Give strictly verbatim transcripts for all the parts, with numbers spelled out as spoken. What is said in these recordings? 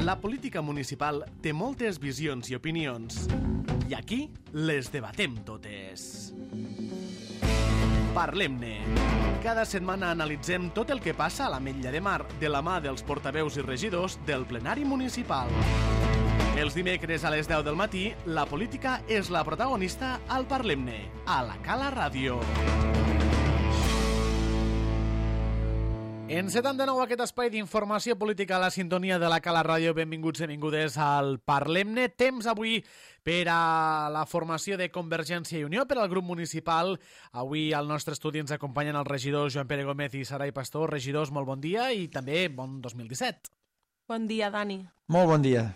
La política municipal té moltes visions i opinions. I aquí les debatem totes. Parlem-ne. Cada setmana analitzem tot el que passa a l'Ametlla de Mar de la mà dels portaveus i regidors del plenari municipal. Els dimecres a les deu del matí, la política és la protagonista al Parlem-ne, a la Cala Ràdio. Encetem de nou aquest espai d'informació política a la sintonia de la Cala Ràdio. Benvinguts i benvingudes al Parlem-ne. Temps avui per a la formació de Convergència i Unió, per al grup municipal. Avui al nostre estudi ens acompanyen els regidors Joan Pere Gómez i Sarai Pastor. Regidors, molt bon dia i també bon dos mil disset. Bon dia, Dani. Molt bon dia.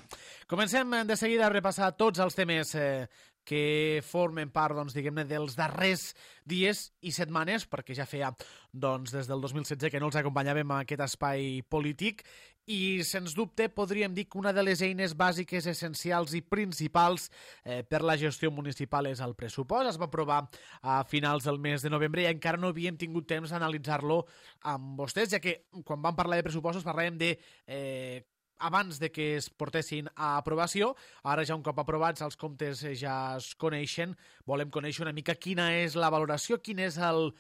Comencem de seguida a repassar tots els temes eh, que formen part, doncs, diguem-ne, dels darrers dies i setmanes, perquè ja feia, doncs, des del dos mil setze que no els acompanyàvem a aquest espai polític i, sens dubte, podríem dir que una de les eines bàsiques, essencials i principals eh, per la gestió municipal és el pressupost. Es va aprovar a finals del mes de novembre i encara no havíem tingut temps d'analitzar-lo amb vostès, ja que quan vam parlar de pressupostos parlàvem de eh, abans de que es portessin a aprovació. Ara ja un cop aprovats els comptes ja es coneixen. Volem conèixer una mica quina és la valoració, quines són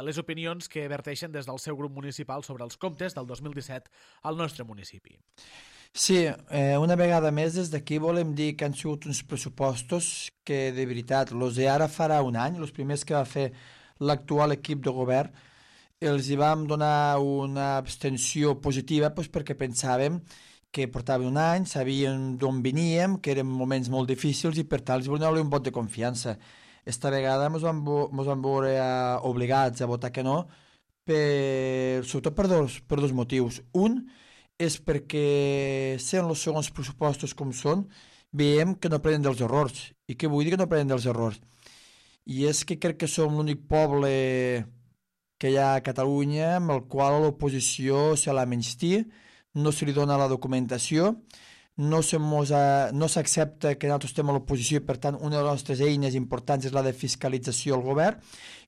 les opinions que verteixen des del seu grup municipal sobre els comptes del dos mil disset al nostre municipi. Sí, eh, una vegada més des d'aquí volem dir que han sigut uns pressupostos que de veritat, els de ara farà un any, els primers que va fer l'actual equip de govern, els hi vam donar una abstenció positiva doncs, perquè pensàvem que portava un any, sabíem d'on veníem, que eren moments molt difícils i per tant els volíem donar un vot de confiança. Esta vegada ens vam, ens vam veure obligats a votar que no, per, sobretot per dos, per dos motius. Un és perquè, sent els segons pressupostos com són, veiem que no prenen dels errors. I què vull dir que no prenen dels errors? I és que crec que som l'únic poble que hi ha a Catalunya amb el qual l'oposició se la menysté, no se li dona la documentació, no s'accepta que nosaltres estem a l'oposició i per tant una de les nostres eines importants és la de fiscalització al govern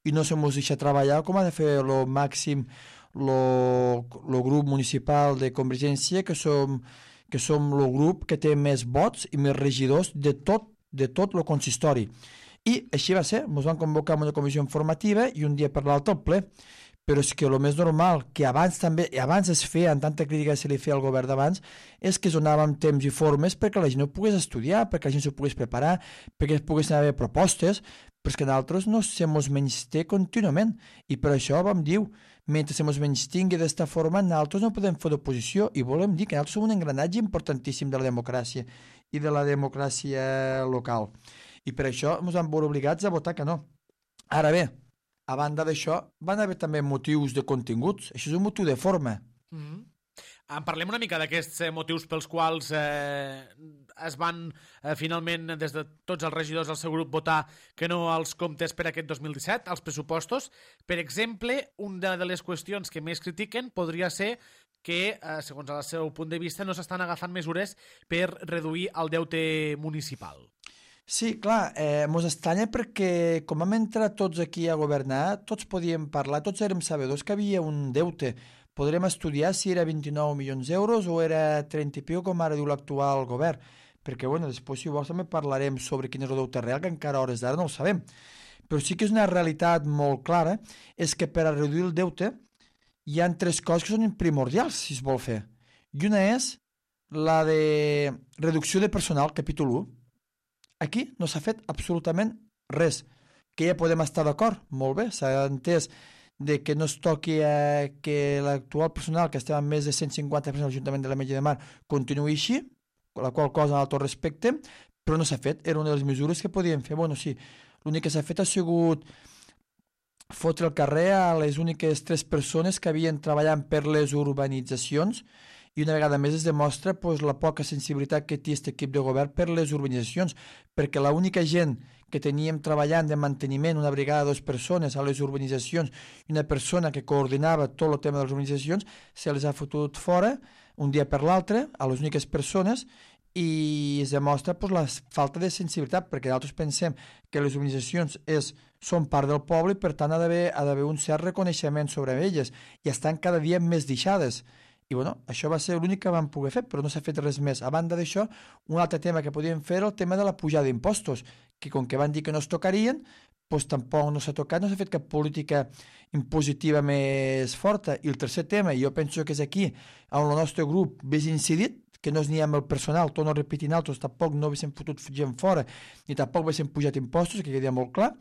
i no se mos deixa treballar com ha de fer el màxim el grup municipal de Convergència, que som que som el grup que té més vots i més regidors de tot de tot el consistori. I així va ser, ens van convocar en una comissió informativa i un dia per l'altre al ple. Però és que el més normal, que abans també, i abans es feia, en tanta crítica que se li feia al govern d'abans, és que es donàvem temps i formes perquè la gent no pogués estudiar, perquè la gent s'ho pogués preparar, perquè es poguessin haver propostes, però és que nosaltres no se mos menysté contínuament. I per això vam dir, mentre se mos menystingui d'esta forma, nosaltres no podem fer d'oposició i volem dir que nosaltres som un engranatge importantíssim de la democràcia i de la democràcia local. I per això ens vam veure obligats a votar que no. Ara bé, a banda d'això, van haver també motius de continguts. Això és un motiu de forma. Mm-hmm. En parlem una mica d'aquests eh, motius pels quals eh, es van eh, finalment, des de tots els regidors del seu grup, votar que no als comptes per aquest dos mil disset, als pressupostos. Per exemple, una de les qüestions que més critiquen podria ser que, eh, segons el seu punt de vista, no s'estan agafant mesures per reduir el deute municipal. Sí, clar, eh, mos estranya perquè com hem entrat tots aquí a governar, tots podíem parlar, tots érem sabedors que havia un deute. Podrem estudiar si era vint-i-nou milions d'euros o era trenta i piu, com ara diu l'actual govern. Perquè, bueno, després si vols també parlarem sobre quin és el deute real, que encara a hores d'ara no el sabem. Però sí que és una realitat molt clara, és que per a reduir el deute hi ha tres coses que són primordials, si es vol fer. I una és la de reducció de personal, capítol u. Aquí no s'ha fet absolutament res, que ja podem estar d'acord, molt bé, s'ha entès de que no es toqui eh, que l'actual personal, que estem amb més de cent cinquanta persones a l'Ajuntament de l'Ametlla de Mar, continuï així, la qual cosa en tot respecte, però no s'ha fet, era una de les mesures que podíem fer. Bueno, sí, l'únic que s'ha fet ha sigut fotre el carrer a les úniques tres persones que havien treballat per les urbanitzacions i una vegada més es demostra pues, la poca sensibilitat que té aquest equip de govern per les urbanitzacions, perquè l'única gent que teníem treballant de manteniment, una brigada de dues persones a les urbanitzacions i una persona que coordinava tot el tema de les urbanitzacions, se les ha fotut fora un dia per l'altre a les úniques persones i es demostra pues, la falta de sensibilitat, perquè nosaltres pensem que les urbanitzacions és, són part del poble i per tant ha d'haver un cert reconeixement sobre elles i estan cada dia més deixades. I bueno, això va ser l'únic que vam poder fer, però no s'ha fet res més. A banda d'això, un altre tema que podíem fer era el tema de la pujada d'impostos, que com que van dir que no es tocarien, doncs tampoc no s'ha tocat, no s'ha fet cap política impositiva més forta. I el tercer tema, i jo penso que és aquí on el nostre grup més incidit, que no és ni amb el personal, torno a repetir altres, tampoc no haguéssim fotut gent fora, ni tampoc haguéssim pujat impostos, que quedia molt clar,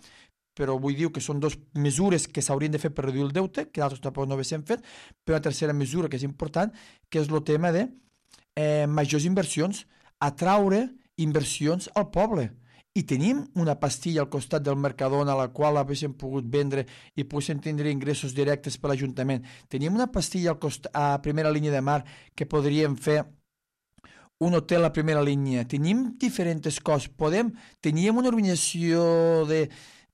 però vull dir que són dues mesures que s'haurien de fer per reduir el deute, que d'altres tampoc no haguéssim fet, però una tercera mesura que és important, que és el tema de eh, majors inversions, atraure inversions al poble. I tenim una pastilla al costat del Mercadona a la qual haguéssim pogut vendre i poguéssim tindre ingressos directes per l'Ajuntament. Tenim una pastilla al costat, a primera línia de mar que podríem fer un hotel a primera línia. Tenim diferents coses. Podem, teníem una organització de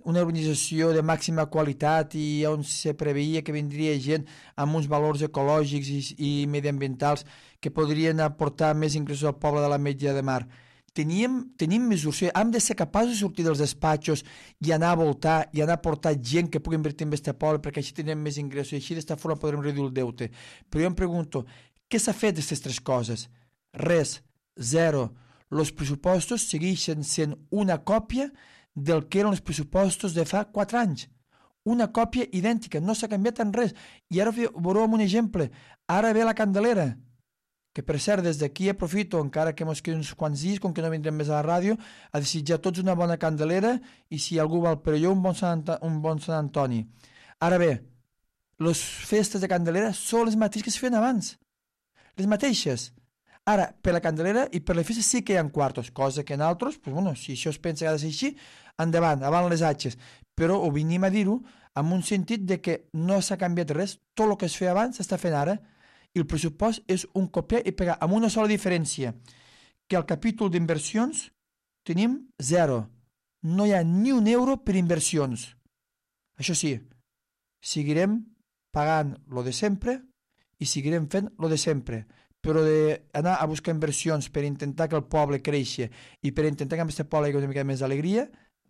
una organització de màxima qualitat i on se preveia que vindria gent amb uns valors ecològics i, i mediambientals que podrien aportar més ingressos al poble de la Metlla de Mar. Teníem, tenim mesures, hem de ser capaços de sortir dels despatxos i anar a voltar i anar a portar gent que pugui invertir en este poble perquè així tindrem més ingressos i així d'esta forma podrem reduir el deute. Però jo em pregunto, què s'ha fet d'aquestes tres coses? Res, zero. Els pressupostos segueixen sent una còpia del que eren els pressupostos de fa quatre anys. Una còpia idèntica, no s'ha canviat en res. I ara veurem un exemple. Ara ve la Candelera, que per cert, des d'aquí aprofito, encara que mos queden uns quants dies, com que no vindrem més a la ràdio, a desitjar tots una bona Candelera i si algú vol per allò, un bon Sant, un bon Sant Antoni. Ara bé, les festes de Candelera són les mateixes que es feien abans. Les mateixes. Ara, per la Candelera i per les festes sí que hi ha quartos, cosa que en altres, pues, bueno, si això es pensa que ha de ser així, endavant, avant les atxes. Però ho venim a dir-ho amb un sentit de que no s'ha canviat res, tot el que es feia abans s'està fent ara, i el pressupost és un copiar i pegar, amb una sola diferència, que al capítol d'inversions tenim zero. No hi ha ni un euro per inversions. Això sí, seguirem pagant lo de sempre i seguirem fent lo de sempre. Però d'anar a buscar inversions per intentar que el poble creixi i per intentar que amb aquest poble hi hagi una mica més d'alegria,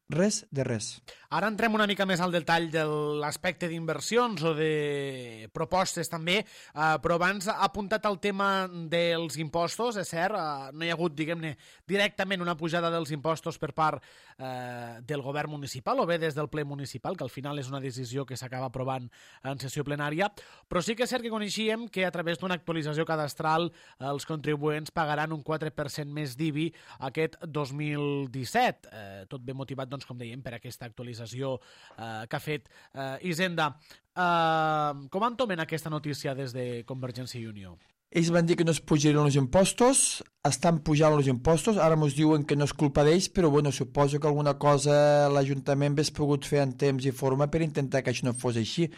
res de res. Ara entrem una mica més al detall de l'aspecte d'inversions o de propostes també, eh, però abans ha apuntat el tema dels impostos, és cert, eh, no hi ha hagut, diguem-ne, directament una pujada dels impostos per part eh, del govern municipal o bé des del ple municipal, que al final és una decisió que s'acaba aprovant en sessió plenària, però sí que és cert que coneixíem que a través d'una actualització cadastral els contribuents pagaran un quatre per cent més d'I B I aquest dos mil disset, eh, tot ben motivat, doncs, com dèiem, per aquesta actualització eh, que ha fet eh, Hisenda. Eh, com entomen aquesta notícia des de Convergència i Unió? Ells van dir que no es pujarien els impostos, estan pujant els impostos, ara ens diuen que no és culpa d'ells, però bueno, suposo que alguna cosa l'Ajuntament hagués pogut fer en temps i forma per intentar que això no fos així.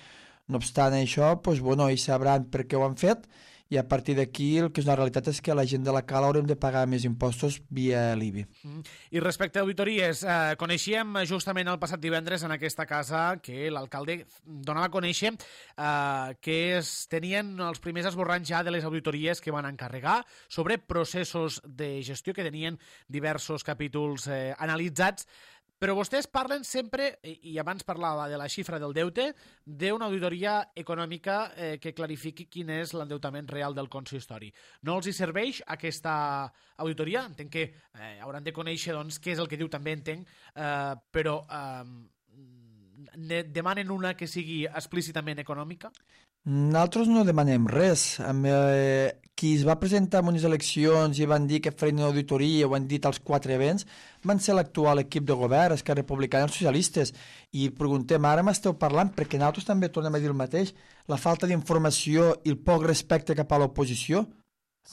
No obstant això, doncs, bueno, ells sabran per què ho han fet, i a partir d'aquí el que és una realitat és que la gent de la Cala haurem de pagar més impostos via l'I B I. Mm. I respecte a auditories, eh, coneixíem justament el passat divendres en aquesta casa que l'alcalde donava a conèixer eh, que es tenien els primers esborranys ja de les auditories que van encarregar sobre processos de gestió que tenien diversos capítols eh, analitzats. Però vostès parlen sempre, i abans parlava de la xifra del deute, d'una auditoria econòmica eh, que clarifiqui quin és l'endeutament real del consistori. No els hi serveix aquesta auditoria? Entenc que eh, hauran de conèixer doncs, què és el que diu, també entenc, eh, però eh, demanen una que sigui explícitament econòmica? Nosaltres no demanem res. Eh, qui es va presentar en unes eleccions i van dir que farien una auditoria, ho han dit als quatre events, van ser l'actual equip de govern, Esquerra Republicana i els socialistes. I preguntem, ara m'esteu parlant, perquè nosaltres també tornem a dir el mateix, la falta d'informació i el poc respecte cap a l'oposició. Sí.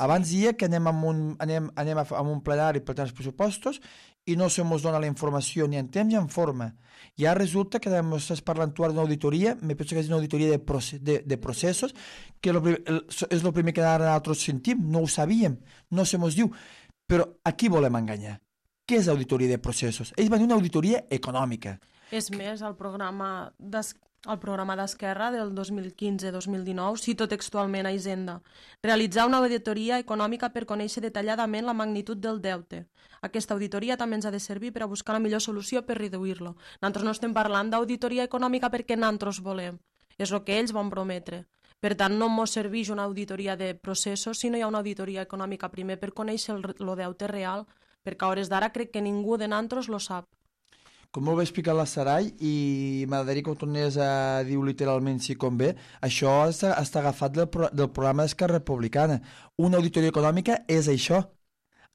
Abans dia que anem, amb un, anem, anem a, a un plenari per tenir els pressupostos i no se mos dona la informació ni en temps ni en forma. I ara resulta que estàs parlant tu ara d'una auditoria, me penso que és una auditoria de, proce de, de processos, que lo, el, és el primer que ara nosaltres sentim, no ho sabíem, no se mos diu. Però a qui volem enganyar? Què és auditoria de processos? Ells van dir una auditoria econòmica. És més, el programa el programa d'Esquerra del dos mil quinze dos mil dinou cito textualment a Hisenda: realitzar una auditoria econòmica per conèixer detalladament la magnitud del deute. Aquesta auditoria també ens ha de servir per a buscar la millor solució per reduir-lo. Nosaltres no estem parlant d'auditoria econòmica perquè nosaltres volem. És el que ells van prometre. Per tant, no ens serveix una auditoria de processos si no hi ha una auditoria econòmica primer per conèixer el, el deute real, perquè a hores d'ara crec que ningú de nantros lo sap. Com molt bé explicat la Sarai, i m'agradaria que ho tornés a dir literalment si convé, això està, està agafat del, pro, del programa d'Esquerra Republicana. Una auditoria econòmica és això.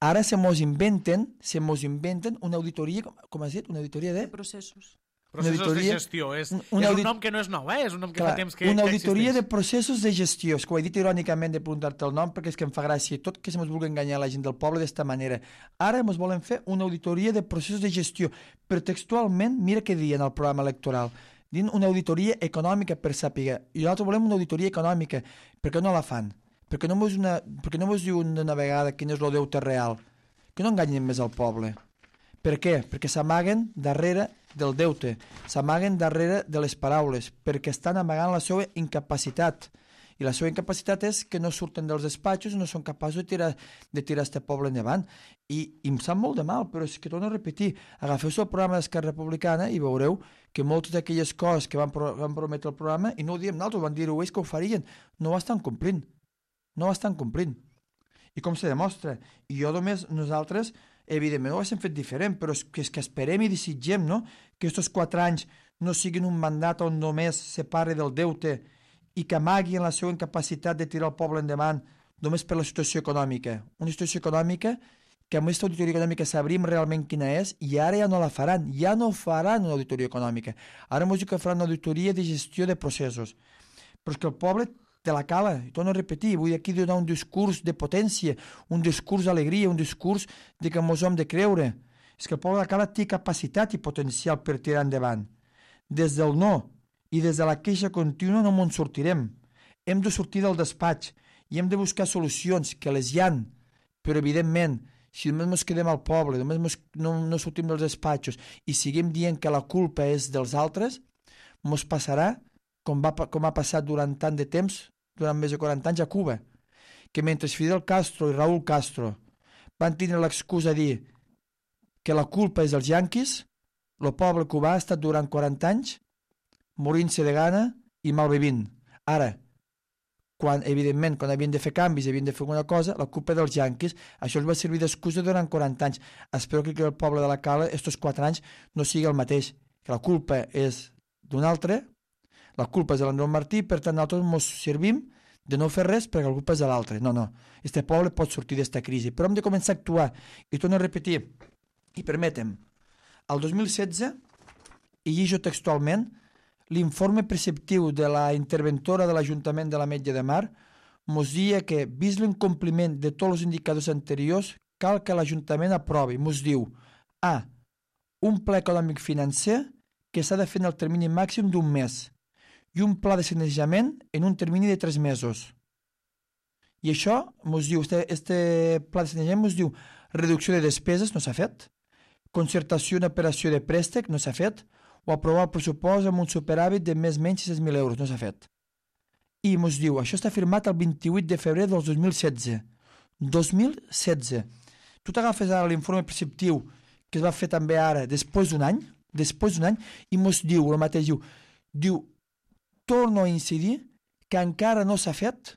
Ara se mos inventen, se mos inventen una auditoria, com has dit, una auditoria de... De processos. Processos auditoria, de gestió. És, una és audit... un nom que no és nou, eh? És un nom que Clar, fa temps que, una que auditoria existeix. de processos de gestió. És que ho he dit irònicament de preguntar-te el nom perquè és que em fa gràcia tot que se mos vulgui enganyar la gent del poble d'esta manera. Ara mos volen fer una auditoria de processos de gestió. Però textualment, mira què diuen al programa electoral. Diuen una auditoria econòmica per sàpiga. I nosaltres volem una auditoria econòmica. Per què no la fan? Per què no mos, una... per què no mos diuen una vegada quin és el deute real? Que no enganyen més al poble. Per què? Perquè s'amaguen darrere del deute, s'amaguen darrere de les paraules, perquè estan amagant la seva incapacitat. I la seva incapacitat és que no surten dels despatxos i no són capaços de tirar, de tirar este poble endavant. I, I em sap molt de mal, però és que torno a repetir, agafeu-se el programa d'Esquerra Republicana i veureu que moltes d'aquelles coses que van, pro, van prometre el programa, i no ho diem nosaltres, van dir-ho ells que ho farien, no ho estan complint. No ho estan complint. I com se demostra? I jo només, nosaltres, evidentment ho haguéssim fet diferent, però és que, és que esperem i desitgem, no?, que aquests quatre anys no siguin un mandat on només se parli del deute i que amaguin la seva incapacitat de tirar el poble endavant només per la situació econòmica. Una situació econòmica que amb aquesta auditoria econòmica sabríem realment quina és i ara ja no la faran, ja no faran una auditoria econòmica. Ara m'ho diu que faran una auditoria de gestió de processos. Però és que el poble te la cala, i torno a repetir, vull aquí donar un discurs de potència, un discurs d'alegria, un discurs de que mos hem de creure. És que el poble de la cala té capacitat i potencial per tirar endavant. Des del no i des de la queixa contínua no ens sortirem. Hem de sortir del despatx i hem de buscar solucions, que les hi han, però evidentment, si només ens quedem al poble, només mos, no, no sortim dels despatxos i seguim dient que la culpa és dels altres, ens passarà com, va, com ha passat durant tant de temps, durant més de quaranta anys a Cuba, que mentre Fidel Castro i Raúl Castro van tenir l'excusa de dir que la culpa és dels yanquis, el poble cubà ha estat durant quaranta anys morint-se de gana i malvivint. Ara, quan, evidentment, quan havien de fer canvis, havien de fer alguna cosa, la culpa dels yanquis, això els va servir d'excusa durant quaranta anys. Espero que el poble de la Cala, estos quatre anys, no sigui el mateix, que la culpa és d'un altre, la culpa és de l'Andreu Martí, per tant nosaltres ens servim de no fer res perquè la culpa és de l'altre. No, no, este poble pot sortir d'esta crisi, però hem de començar a actuar. I torno a repetir, i permetem, el dos mil setze, i llegeixo textualment, l'informe preceptiu de la interventora de l'Ajuntament de l'Ametlla de Mar mos dia que, vist l'incompliment de tots els indicadors anteriors, cal que l'Ajuntament aprovi. Mos diu A. Un pla econòmic financer que s'ha de fer en el termini màxim d'un mes i un pla de sanejament en un termini de tres mesos. I això mos diu, este, este pla de sanejament mos diu reducció de despeses, no s'ha fet, concertació en operació de préstec, no s'ha fet, o aprovar el pressupost amb un superàvit de més o menys sis mil euros, no s'ha fet. I mos diu, això està firmat el vint-i-vuit de febrer del dos mil setze. dos mil setze. Tu t'agafes ara l'informe preceptiu que es va fer també ara, després d'un any, després d'un any, i mos diu, el mateix diu, diu, torno a incidir que encara no s'ha fet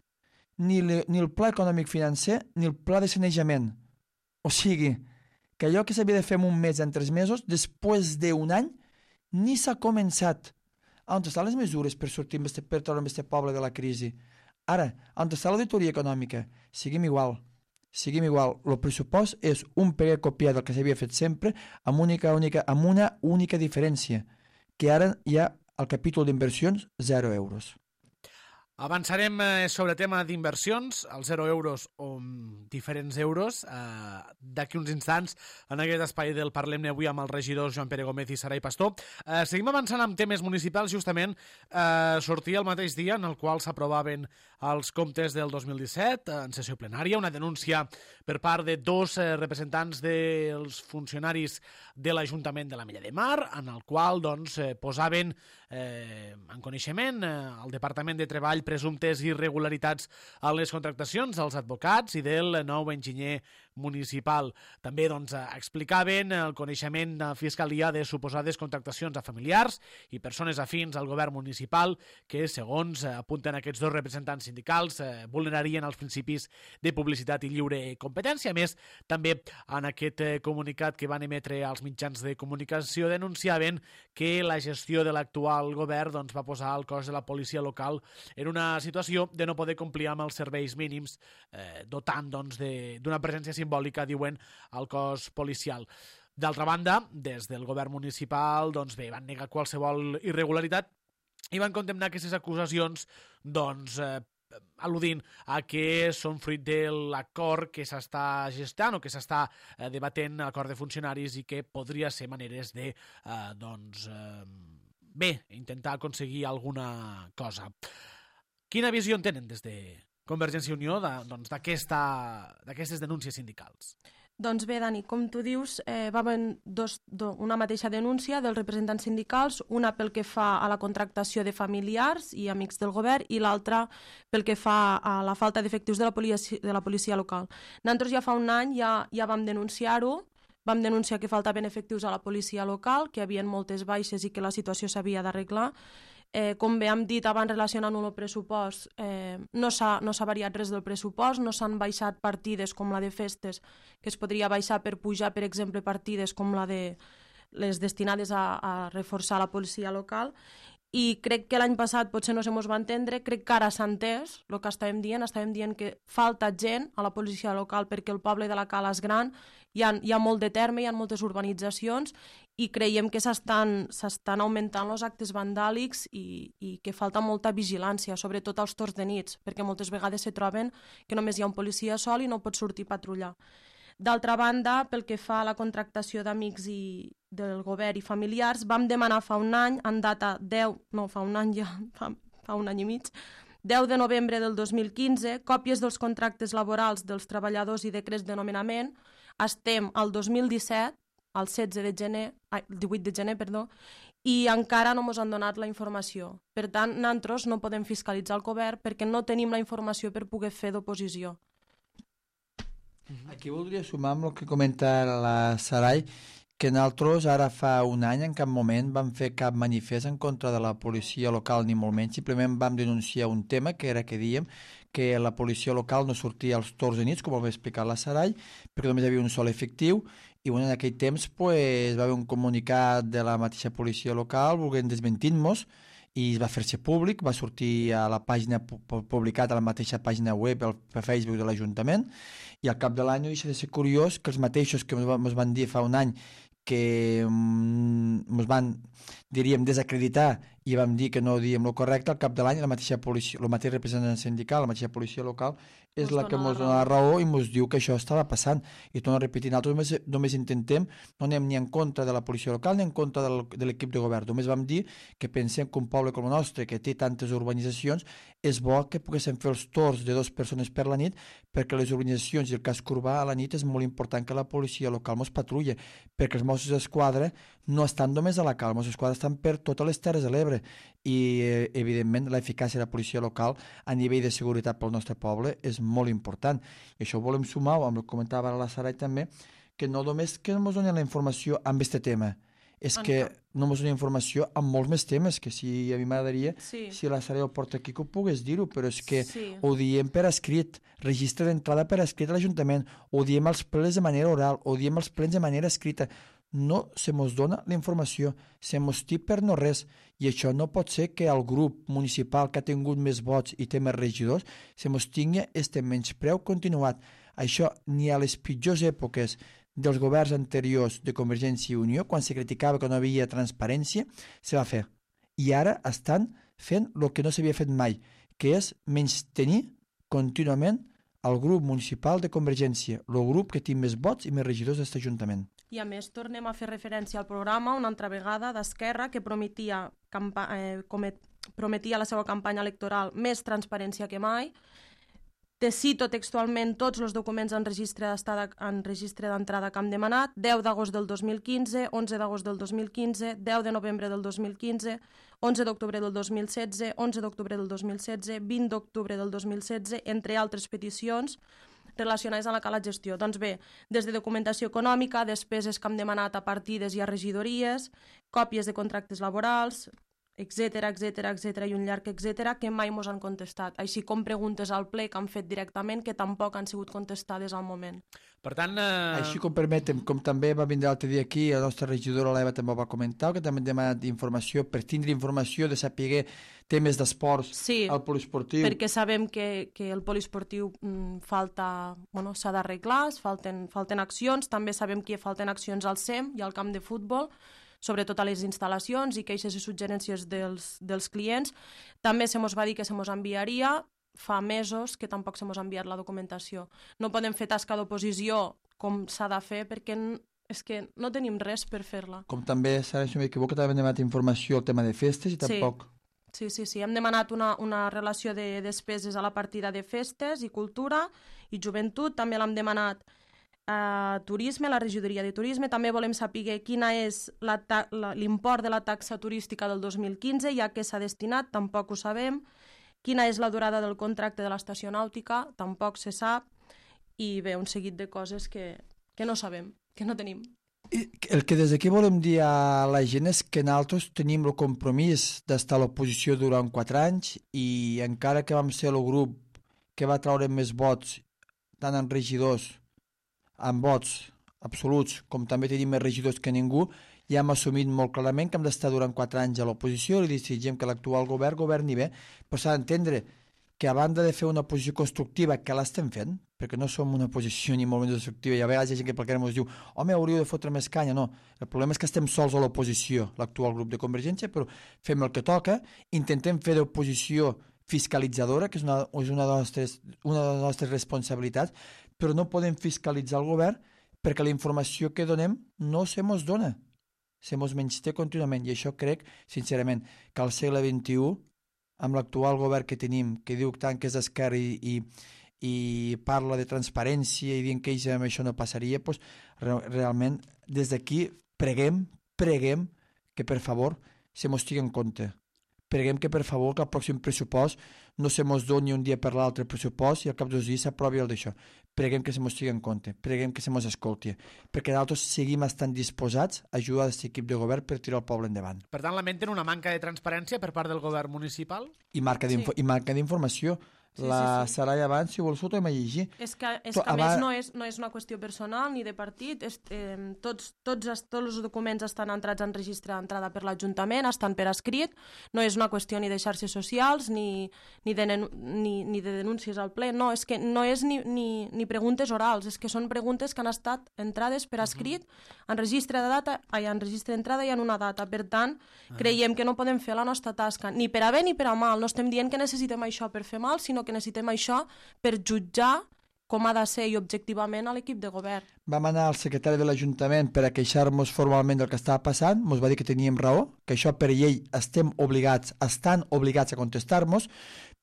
ni, le, ni el pla econòmic financer ni el pla de sanejament. O sigui, que allò que s'havia de fer en un mes, en tres mesos, després d'un any, ni s'ha començat. On estan les mesures per sortir este, per treure aquest poble de la crisi? Ara, on està l'auditoria econòmica? Seguim igual. Seguim igual. El pressupost és un peguer copiat del que s'havia fet sempre amb, única, única, amb una única diferència, que ara hi ha al capítol d'inversions, zero euros. Avançarem eh, sobre tema d'inversions, els zero euros o diferents euros, eh, d'aquí uns instants en aquest espai del Parlem-ne avui amb els regidors Joan Pere Gómez i Sarai Pastor. Eh, seguim avançant amb temes municipals, justament eh, sortia el mateix dia en el qual s'aprovaven els comptes del dos mil disset en sessió plenària, una denúncia per part de dos eh, representants dels funcionaris de l'Ajuntament de l'Ametlla de Mar, en el qual doncs, eh, posaven eh, en coneixement eh, el Departament de Treball presumptes irregularitats en les contractacions dels advocats i del nou enginyer municipal. També doncs, explicaven el coneixement de la Fiscalia de suposades contractacions a familiars i persones afins al govern municipal que, segons apunten aquests dos representants sindicals, eh, vulnerarien els principis de publicitat i lliure competència. A més, també en aquest eh, comunicat que van emetre als mitjans de comunicació denunciaven que la gestió de l'actual govern doncs, va posar el cos de la policia local en una situació de no poder complir amb els serveis mínims, eh, dotant doncs, d'una presència simbòlica, diuen, al cos policial. D'altra banda, des del govern municipal doncs bé, van negar qualsevol irregularitat i van condemnar aquestes acusacions doncs, eh, al·ludint a que són fruit de l'acord que s'està gestant o que s'està eh, debatent a l'acord de funcionaris i que podria ser maneres de eh, doncs, eh, bé, intentar aconseguir alguna cosa. Quina visió en tenen des de Convergència i Unió d'aquestes doncs, denúncies sindicals? Doncs bé, Dani, com tu dius, eh, va haver dos, do, una mateixa denúncia dels representants sindicals, una pel que fa a la contractació de familiars i amics del govern i l'altra pel que fa a la falta d'efectius de, la policia, de la policia local. Nosaltres ja fa un any ja, ja vam denunciar-ho, vam denunciar que faltaven efectius a la policia local, que hi havia moltes baixes i que la situació s'havia d'arreglar. Eh, com bé hem dit abans, relacionant amb el pressupost, eh, no s'ha no s'ha variat res del pressupost, no s'han baixat partides com la de festes, que es podria baixar per pujar, per exemple, partides com la de les destinades a, a reforçar la policia local, i crec que l'any passat potser no se mos va entendre, crec que ara s'ha entès el que estàvem dient, estàvem dient que falta gent a la policia local perquè el poble de la Cala és gran, hi ha, hi ha molt de terme, hi ha moltes urbanitzacions i creiem que s'estan s'estan augmentant els actes vandàlics i, i que falta molta vigilància, sobretot als torns de nits, perquè moltes vegades se troben que només hi ha un policia sol i no pot sortir a patrullar. D'altra banda, pel que fa a la contractació d'amics i del govern i familiars, vam demanar fa un any, en data deu, no, fa un any ja, fa, fa un any i mig, deu de novembre del dos mil quinze, còpies dels contractes laborals dels treballadors i decrets de nomenament. Estem al dos mil disset, al setze de gener, ai, divuit de gener, perdó, i encara no ens han donat la informació. Per tant, nosaltres no podem fiscalitzar el govern perquè no tenim la informació per poder fer d'oposició. Aquí voldria sumar amb el que comenta la Sarai, que nosaltres ara fa un any en cap moment vam fer cap manifest en contra de la policia local ni molt menys, simplement vam denunciar un tema que era que dèiem que la policia local no sortia als torns de nits, com ho va explicar la Sarai, perquè només hi havia un sol efectiu i bueno, en aquell temps pues, va haver un comunicat de la mateixa policia local volent desmentint-nos i es va fer-se públic, va sortir a la pàgina publicat a la mateixa pàgina web al Facebook de l'Ajuntament i al cap de l'any no deixa de ser curiós que els mateixos que ens van dir fa un any que ens van, diríem, desacreditar i vam dir que no diem el correcte, al cap de l'any la mateixa policia, el mateix representant sindical, la mateixa policia local és la que ens dona la raó i ens diu que això estava passant. I torno a repetir, nosaltres només, només intentem, no anem ni en contra de la policia local ni en contra del, de l'equip de govern, només vam dir que pensem que un poble com el nostre, que té tantes urbanitzacions, és bo que poguéssim fer els torns de dues persones per la nit, perquè les urbanitzacions i el casc urbà a la nit és molt important que la policia local mos patrulla, perquè els Mossos d'Esquadra no estan només a la Cala, els Mossos d'Esquadra estan per totes les Terres de l'Ebre i, eh, evidentment, l'eficàcia de la policia local a nivell de seguretat pel nostre poble és molt important. I això ho volem sumar, amb el que comentava la Sarai també, que no només que no ens donen la informació amb aquest tema, és que no ens donen informació amb molts més temes, que si a mi m'agradaria, sí. si la Sarai ho porta aquí, que ho pogués dir-ho, però és que sí. ho diem per escrit, registre d'entrada per escrit a l'Ajuntament, ho diem als plens de manera oral, ho diem als plens de manera escrita, no se mos dona la informació, se mos té per no res, i això no pot ser que el grup municipal que ha tingut més vots i té més regidors se mos tingui este menyspreu continuat. Això ni a les pitjors èpoques dels governs anteriors de Convergència i Unió, quan se criticava que no havia transparència, se va fer. I ara estan fent el que no s'havia fet mai, que és menystenir contínuament el grup municipal de Convergència, el grup que té més vots i més regidors d'aquest Ajuntament. I a més tornem a fer referència al programa una altra vegada d'Esquerra que prometia, campa eh, comet, prometia a la seva campanya electoral més transparència que mai. Te cito textualment tots els documents en registre en registre d'entrada que hem demanat: deu d'agost del dos mil quinze, onze d'agost del dos mil quinze, deu de novembre del dos mil quinze, onze d'octubre del dos mil setze, onze d'octubre del dos mil setze, vint d'octubre del dos mil setze, entre altres peticions, relacionades amb la cala gestió. Doncs bé, des de documentació econòmica, despeses que hem demanat a partides i a regidories, còpies de contractes laborals, etcètera, etcètera, etcètera, i un llarg etcètera, que mai mos han contestat. Així com preguntes al ple que han fet directament, que tampoc han sigut contestades al moment. Per tant... Eh... Així com permetem, com també va vindre l'altre dia aquí, la nostra regidora l'Eva també va comentar, que també hem demanat informació, per tindre informació de saber temes d'esports sí, al poliesportiu. Perquè sabem que, que el poliesportiu mm, falta, bueno, s'ha d'arreglar, falten, falten accions, també sabem que falten accions al S E M i al camp de futbol, sobretot a les instal·lacions i queixes i suggerències dels, dels clients. També se mos va dir que se mos enviaria, fa mesos que tampoc se mos ha enviat la documentació. No podem fer tasca d'oposició com s'ha de fer perquè és que no tenim res per fer-la. Com també, Sara, si no m'equivoco, també hem demanat informació al tema de festes i tampoc... Sí, sí, sí. Hem demanat una, una relació de despeses a la partida de festes i cultura i joventut. També l'hem demanat a turisme, a la regidoria de turisme. També volem saber quina és l'import de la taxa turística del dos mil quinze, ja que s'ha destinat, tampoc ho sabem. Quina és la durada del contracte de l'estació nàutica, tampoc se sap. I bé, un seguit de coses que, que no sabem, que no tenim. El que des d'aquí volem dir a la gent és que nosaltres tenim el compromís d'estar a l'oposició durant quatre anys i encara que vam ser el grup que va treure més vots, tant en regidors, en vots absoluts, com també tenim més regidors que ningú, ja hem assumit molt clarament que hem d'estar durant quatre anys a l'oposició i desitgem que l'actual govern governi bé, però s'ha d'entendre que a banda de fer una oposició constructiva, que l'estem fent, perquè no som una oposició ni molt menys destructiva, i a vegades hi ha gent que pel que ens diu home, hauríeu de fotre més canya, no. El problema és que estem sols a l'oposició, l'actual grup de Convergència, però fem el que toca, intentem fer d'oposició fiscalitzadora, que és una, és una, de les nostres, una de les nostres responsabilitats, però no podem fiscalitzar el govern perquè la informació que donem no se mos dona, se mos menysté contínuament, i això crec, sincerament, que al segle vint-i-u, amb l'actual govern que tenim, que diu tant que és d'esquerra i, i, i parla de transparència i dient que ells amb això no passaria, doncs, re, realment, des d'aquí preguem, preguem que per favor se mos tingui en compte. Preguem que per favor que el pròxim pressupost no se mos doni un dia per l'altre pressupost i al cap dos dies s'aprovi el d'això. Preguem que se mos tingui en compte, preguem que se mos escolti, perquè nosaltres seguim estant disposats a ajudar aquest equip de govern per tirar el poble endavant. Per tant, lamenten una manca de transparència per part del govern municipal? I manca d'informació. Sí, la sí, sí. Saraya abans, si vols, ho tornem a llegir. És que, és que a més no és, no és una qüestió personal ni de partit. És, eh, tots, tots, tots els documents estan entrats en registre d'entrada per l'Ajuntament, estan per escrit. No és una qüestió ni de xarxes socials ni, ni, de, ni, ni de denúncies al ple. No, és que no és ni, ni, ni preguntes orals, és que són preguntes que han estat entrades per escrit en registre de data, ai, en registre d'entrada i en una data. Per tant, creiem que no podem fer la nostra tasca ni per a bé ni per a mal. No estem dient que necessitem això per fer mal, sinó que necessitem això per jutjar com ha de ser i objectivament a l'equip de govern. Vam anar al secretari de l'Ajuntament per a queixar-nos formalment del que estava passant, ens va dir que teníem raó, que això per llei estem obligats, estan obligats a contestar-nos,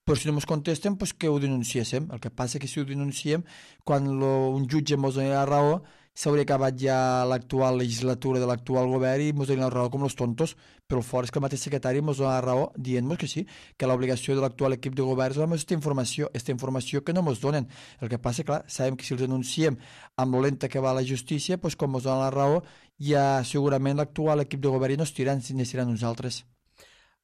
però si no ens contesten, doncs que ho denunciéssim. El que passa és que si ho denunciem, quan lo, un jutge ens doni la raó, s'hauria acabat ja l'actual legislatura de l'actual govern i ens donen la raó com els tontos, però el fort és que el mateix secretari ens dona la raó dient-nos que sí, que l'obligació de l'actual equip de govern és donar aquesta informació, aquesta informació que no ens donen. El que passa, clar, sabem que si els denunciem amb lo lenta que va la justícia, doncs com ens donen la raó, ja segurament l'actual equip de govern no es tiran, si n'estiran nosaltres.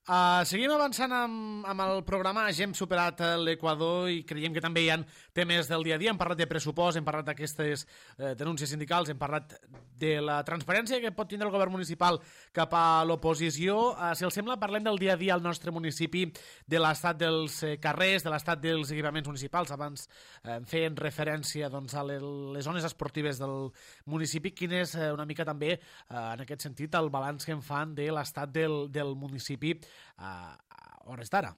Uh, seguim avançant amb, amb el programa. Ja hem superat l'Equador i creiem que també hi ha temes del dia a dia. Hem parlat de pressupost, hem parlat d'aquestes eh, denúncies sindicals, hem parlat de la transparència que pot tindre el govern municipal cap a l'oposició. Uh, si els sembla, parlem del dia a dia al nostre municipi, de l'estat dels eh, carrers, de l'estat dels equipaments municipals. Abans eh, feien referència doncs, a les, les zones esportives del municipi. Quin és eh, una mica també, eh, en aquest sentit, el balanç que en fan de l'estat del, del municipi a hores d'ara?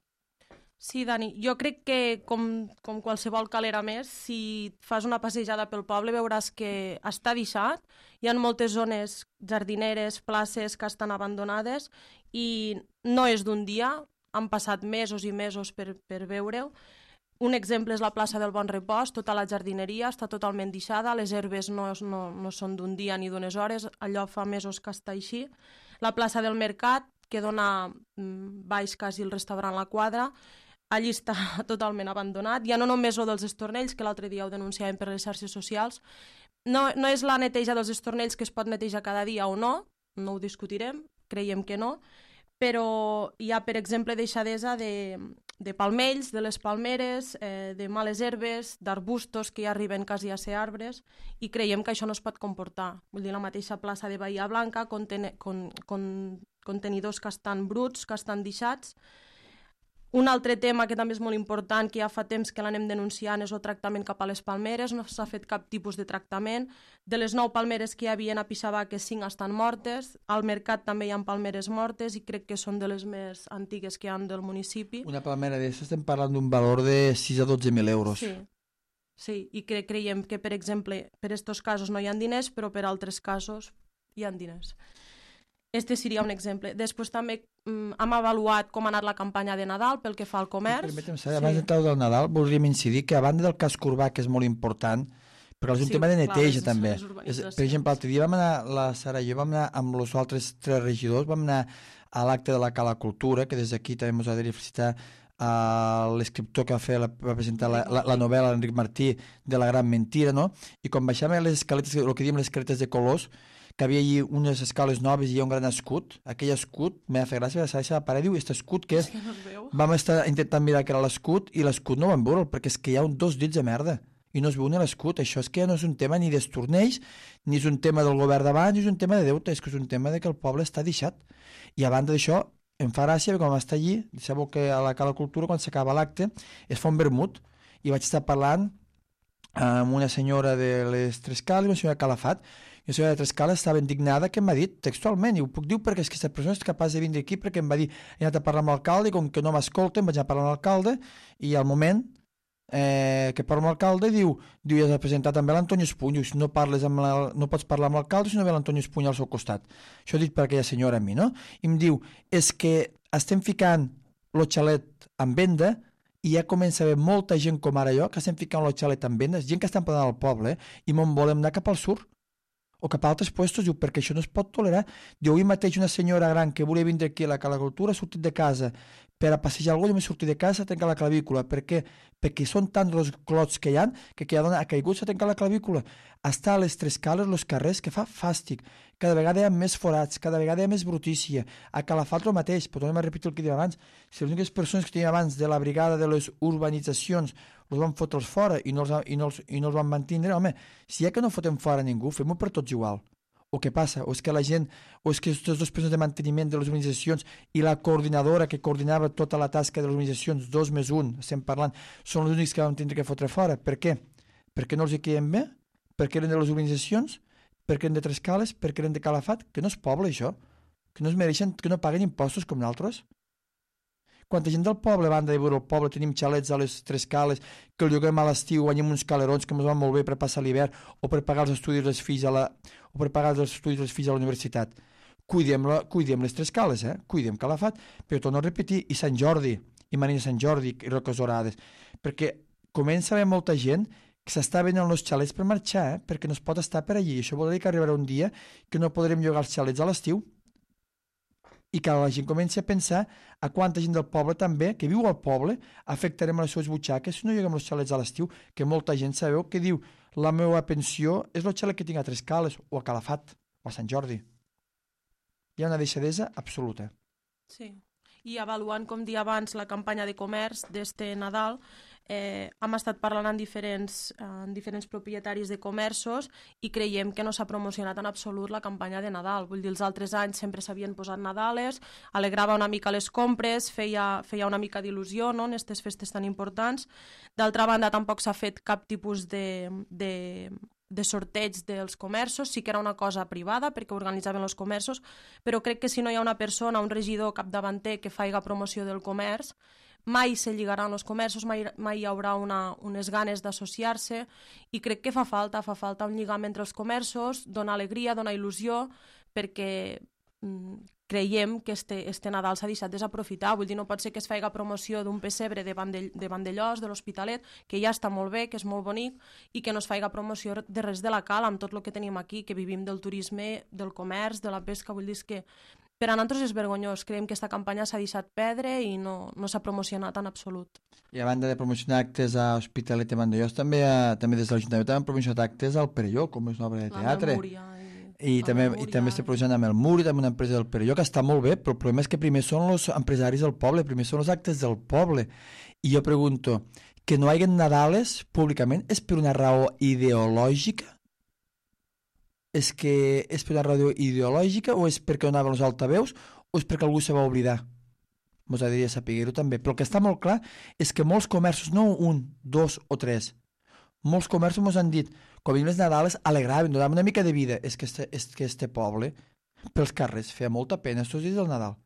Sí, Dani, jo crec que com, com qualsevol calera més, si fas una passejada pel poble veuràs que està deixat, hi ha moltes zones jardineres, places que estan abandonades i no és d'un dia, han passat mesos i mesos per, per veure-ho. Un exemple és la plaça del Bon Repòs, tota la jardineria està totalment deixada, les herbes no, no, no són d'un dia ni d'unes hores, allò fa mesos que està així. La plaça del Mercat, que dona baix quasi el restaurant La Quadra, allí està totalment abandonat. Ja no només el dels estornells, que l'altre dia ho denunciàvem per les xarxes socials. No, no és la neteja dels estornells que es pot netejar cada dia o no, no ho discutirem, creiem que no, però hi ha, per exemple, deixadesa de, de palmells, de les palmeres, eh, de males herbes, d'arbustos que ja arriben quasi a ser arbres, i creiem que això no es pot comportar. Vull dir, la mateixa plaça de Bahia Blanca, conten con, con, contenidors que estan bruts, que estan deixats. Un altre tema que també és molt important, que ja fa temps que l'anem denunciant, és el tractament cap a les palmeres. No s'ha fet cap tipus de tractament. De les nou palmeres que hi havia a Pixabaques, cinc estan mortes. Al mercat també hi ha palmeres mortes i crec que són de les més antigues que hi ha del municipi. Una palmera d'això estem parlant d'un valor de sis a dotze mil euros. Sí, sí. I cre creiem que, per exemple, per aquests casos no hi ha diners, però per altres casos hi ha diners. Este seria un exemple. Després també mm, hem avaluat com ha anat la campanya de Nadal pel que fa al comerç. Permetem saber, abans sí. d'entrar del Nadal, voldríem incidir que a banda del casc urbà, que és molt important, perquè és un sí, tema de neteja clar, també. És, per exemple, l'altre dia vam anar, la Sara i jo vam anar amb els altres tres regidors, vam anar a l'acte de la Cala Cultura, que des d'aquí també ens ha de felicitar a l'escriptor que va, fer la, va presentar la, la, la novel·la, l'Enric Martí, de La gran mentira, no? I quan baixàvem les escaletes, el que diem les escaletes de colors, que havia allí unes escales noves i hi ha un gran escut. Aquell escut, m'ha fet gràcia, la Sara va parar i diu, aquest escut què és? És que no es veu. Vam estar intentant mirar que era l'escut i l'escut no vam veure'l, perquè és que hi ha un dos dits de merda i no es veu ni l'escut. Això és que ja no és un tema ni d'estornells, ni és un tema del govern d'abans, ni és un tema de deute, és que és un tema de que el poble està deixat. I a banda d'això, em fa gràcia, quan vam estar allí, sabeu que a la Cala Cultura, quan s'acaba l'acte, es fa un vermut, i vaig estar parlant amb una senyora de les Tres Cales, una senyora Calafat, i la senyora de Tres Cales estava indignada que m'ha dit textualment, i ho puc dir perquè és que aquesta persona és capaç de vindre aquí perquè em va dir, he anat a parlar amb l'alcalde i com que no m'escolten vaig anar a parlar amb l'alcalde i al moment eh, que parlo amb l'alcalde diu, diu, ja s'ha presentat també l'Antoni Espuny, diu, si no, parles amb la, no pots parlar amb l'alcalde si no ve l'Antoni Espuny al seu costat. Això dit per aquella senyora a mi, no? I em diu, és que estem ficant el xalet en venda i ja comença a haver molta gent com ara jo que estem ficant el xalet en venda, gent que estan parlant al poble eh, i me'n volem anar cap al sur o cap a altres puestos, diu, perquè això no es pot tolerar. Diu, avui mateix una senyora gran que volia vindre aquí a la Cala Cultura ha sortit de casa per a passejar algú, jo m'he sortit de casa, s'ha trencat la clavícula. Per què? Perquè són tants els clots que hi ha que aquella dona ha caigut, s'ha trencat la clavícula. Està a les Tres Cales, els carrers, que fa fàstic. Cada vegada hi ha més forats, cada vegada hi ha més brutícia. A Calafat el mateix, però tornem a repetir el que dèiem abans. Si les úniques persones que teníem abans de la brigada de les urbanitzacions els van fotre'ls fora i no els, i, no els, i no els van mantindre, home, si ja que no fotem fora ningú, fem-ho per tots igual. O què passa? O és que la gent, o és que aquestes dues persones de manteniment de les organitzacions i la coordinadora que coordinava tota la tasca de les organitzacions, dos més un, estem parlant, són els únics que vam tindre que fotre fora. Per què? Perquè no els hi queien bé? Perquè eren de les organitzacions? Perquè eren de Tres Cales? Perquè eren de Calafat? Que no és poble, això? Que no es mereixen, que no paguen impostos com nosaltres? Quanta gent del poble, a banda de veure el poble, tenim xalets a les Tres Cales, que el lloguem a l'estiu, guanyem uns calerons que ens van molt bé per passar l'hivern, o per pagar els estudis dels fills a la, o per pagar els estudis dels fills a la universitat. Cuidem, la, cuidem les Tres Cales, eh? Cuidem Calafat, però torno a repetir, i Sant Jordi, i Marina Sant Jordi, i Roques Dorades, perquè comença a haver molta gent que s'està venent els xalets per marxar, eh? Perquè no es pot estar per allí. Això vol dir que arribarà un dia que no podrem llogar els xalets a l'estiu, i que la gent comenci a pensar a quanta gent del poble també, que viu al poble, afectarem les seves butxaques si no lloguem els xalets a l'estiu, que molta gent sabeu que diu la meva pensió és el xalet que tinc a Tres Cales o a Calafat o a Sant Jordi. Hi ha una deixadesa absoluta. Sí, i avaluant, com dia abans, la campanya de comerç d'este Nadal, eh, hem estat parlant amb diferents, amb diferents propietaris de comerços i creiem que no s'ha promocionat en absolut la campanya de Nadal. Vull dir, els altres anys sempre s'havien posat Nadales, alegrava una mica les compres, feia, feia una mica d'il·lusió, no?, en aquestes festes tan importants. D'altra banda, tampoc s'ha fet cap tipus de, de, de sorteig dels comerços, sí que era una cosa privada perquè organitzaven els comerços, però crec que si no hi ha una persona, un regidor capdavanter que faiga promoció del comerç, mai se lligaran els comerços, mai, mai hi haurà una, unes ganes d'associar-se i crec que fa falta, fa falta un lligam entre els comerços, donar alegria, donar il·lusió, perquè mm, creiem que este, este Nadal s'ha deixat desaprofitar. Vull dir, no pot ser que es faci promoció d'un pessebre de, Vandell, de Vandellós, de l'Hospitalet, que ja està molt bé, que és molt bonic, i que no es faci promoció de res de la Cala, amb tot el que tenim aquí, que vivim del turisme, del comerç, de la pesca. Vull dir que per a nosaltres és vergonyós. Creiem que aquesta campanya s'ha deixat perdre i no, no s'ha promocionat en absolut. I a banda de promocionar actes a Hospitalet i Vandellós, també, a, també des de l'Ajuntament han promocionat actes al Perelló, com és una obra de teatre. La Memúria. I, I també, i també està promocionant amb el Muri, també una empresa del Perelló, que està molt bé, però el problema és que primer són els empresaris del poble, primer són els actes del poble. I jo pregunto, que no hi hagi Nadales públicament és per una raó ideològica? És que és per una raó ideològica o és perquè donaven els altaveus o és perquè algú se va oblidar? Mos agradaria saber-ho també. Però el que està molt clar és que molts comerços, no un, dos o tres, molts comerços mos han dit quan venien les Nadales alegraven, donaven una mica de vida. És que este, és que este poble, pels carrers, feia molta pena estos dies del Nadal.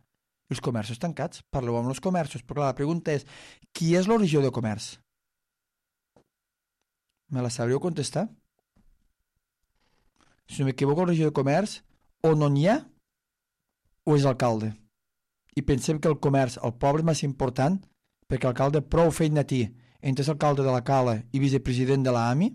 I els comerços tancats. Parleu amb els comerços. Però clar, la pregunta és, qui és l'origen de comerç? Me la sabríeu contestar? Si no m'equivoco, el regidor de comerç o no n'hi ha o és alcalde. I pensem que el comerç, el poble, és més important perquè l'alcalde prou feina té entre l'alcalde de la Cala i vicepresident de l'AMI,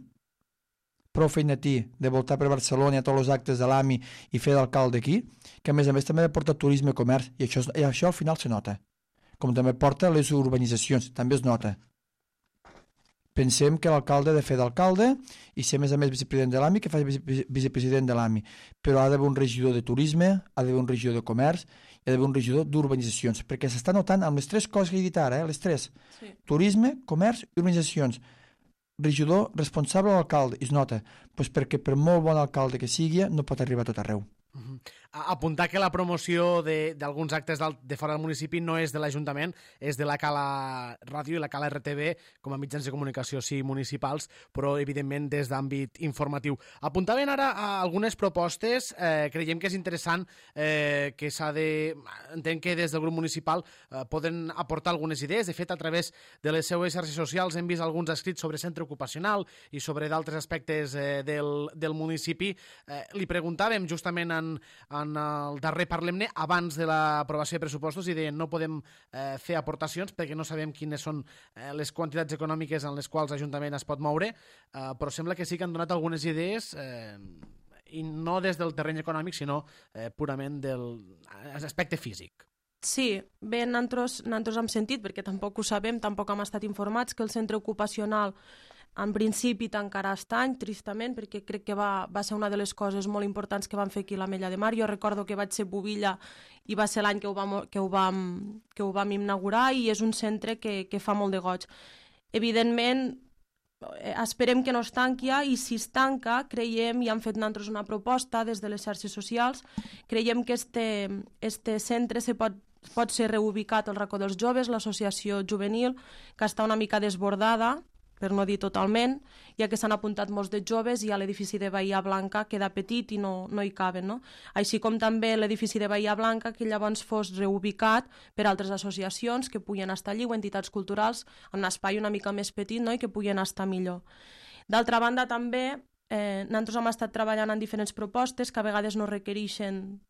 prou feina té de voltar per Barcelona a tots els actes de l'AMI i fer d'alcalde aquí, que a més a més també porta turisme i comerç, i això, i això al final se nota. Com també porta les urbanitzacions, també es nota. Pensem que l'alcalde ha de fer d'alcalde i ser, a més a més, vicepresident de l'AMI, que faci vice vicepresident de l'AMI. Però ha d'haver un regidor de turisme, ha d'haver un regidor de comerç i ha d'haver un regidor d'urbanitzacions, perquè s'està notant amb les tres coses que he dit ara, eh? les tres. Sí. Turisme, comerç i urbanitzacions. Regidor responsable de l'alcalde, i es nota, doncs perquè per molt bon alcalde que sigui, no pot arribar a tot arreu. Uh-huh. Apuntar que la promoció d'alguns actes de fora del municipi no és de l'Ajuntament, és de la Cala Ràdio i la Cala R T V com a mitjans de comunicació, sí, municipals, però evidentment des d'àmbit informatiu. Apuntaven ara a algunes propostes, eh, creiem que és interessant eh, que s'ha de... Entenc que des del grup municipal eh, poden aportar algunes idees. De fet, a través de les seues xarxes socials hem vist alguns escrits sobre centre ocupacional i sobre d'altres aspectes eh, del, del municipi. Eh, li preguntàvem justament en en el darrer Parlem-ne, abans de l'aprovació de pressupostos, i deien no podem eh, fer aportacions perquè no sabem quines són eh, les quantitats econòmiques en les quals l'Ajuntament es pot moure, eh, però sembla que sí que han donat algunes idees eh, i no des del terreny econòmic, sinó eh, purament del aspecte físic. Sí, bé, nosaltres, nosaltres hem sentit, perquè tampoc ho sabem, tampoc hem estat informats, que el centre ocupacional en principi tancarà aquest any, tristament, perquè crec que va, va ser una de les coses molt importants que van fer aquí a l'Ametlla de Mar. Jo recordo que vaig ser bubilla i va ser l'any que, que, ho vam, que ho vam inaugurar i és un centre que, que fa molt de goig. Evidentment, esperem que no es tanqui i si es tanca, creiem, i han fet nosaltres una proposta des de les xarxes socials, creiem que este, este centre se pot pot ser reubicat al racó dels joves, l'associació juvenil, que està una mica desbordada, per no dir totalment, ja que s'han apuntat molts de joves i a l'edifici de Bahia Blanca queda petit i no, no hi caben, no? Així com també l'edifici de Bahia Blanca, que llavors fos reubicat per altres associacions que puguen estar allí o entitats culturals en un espai una mica més petit, no? I que puguen estar millor. D'altra banda, també, eh, nosaltres hem estat treballant en diferents propostes que a vegades no requereixen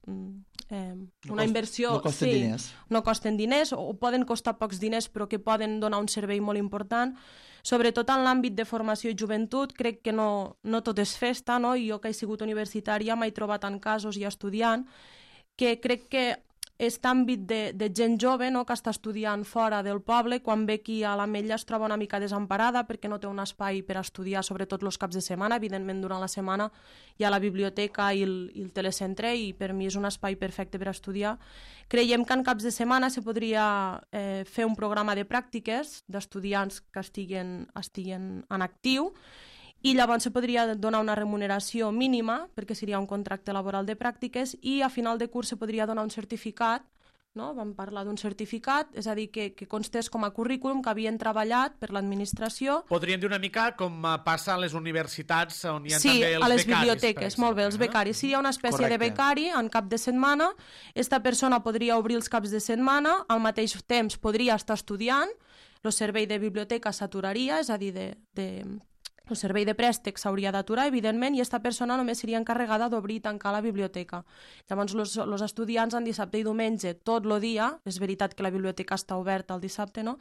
eh, una no inversió... No costen sí, diners. No costen diners, o poden costar pocs diners, però que poden donar un servei molt important. Sobretot en l'àmbit de formació i joventut, crec que no, no tot és festa, no? I jo que he sigut universitària m'he trobat en casos i estudiant que crec que aquest àmbit de, de gent jove, no? Que està estudiant fora del poble, quan ve aquí a l'Ametlla es troba una mica desemparada perquè no té un espai per estudiar, sobretot els caps de setmana. Evidentment, durant la setmana hi ha la biblioteca i el, i el telecentre i per mi és un espai perfecte per estudiar. Creiem que en caps de setmana se podria eh, fer un programa de pràctiques d'estudiants que estiguen, estiguen en actiu i llavors se podria donar una remuneració mínima, perquè seria un contracte laboral de pràctiques, i a final de curs se podria donar un certificat, no? Vam parlar d'un certificat, és a dir, que, que constés com a currículum que havien treballat per l'administració. Podríem dir una mica com passa a les universitats on hi ha sí, també els becaris. Sí, a les biblioteques, molt bé, els becaris. Seria una espècie Correcte. de becari en cap de setmana. Esta persona podria obrir els caps de setmana, al mateix temps podria estar estudiant, el servei de biblioteca s'aturaria, és a dir, de... de el servei de préstec s'hauria d'aturar, evidentment, i aquesta persona només seria encarregada d'obrir i tancar la biblioteca. Llavors, els estudiants en dissabte i diumenge, tot el dia, és veritat que la biblioteca està oberta el dissabte, no?,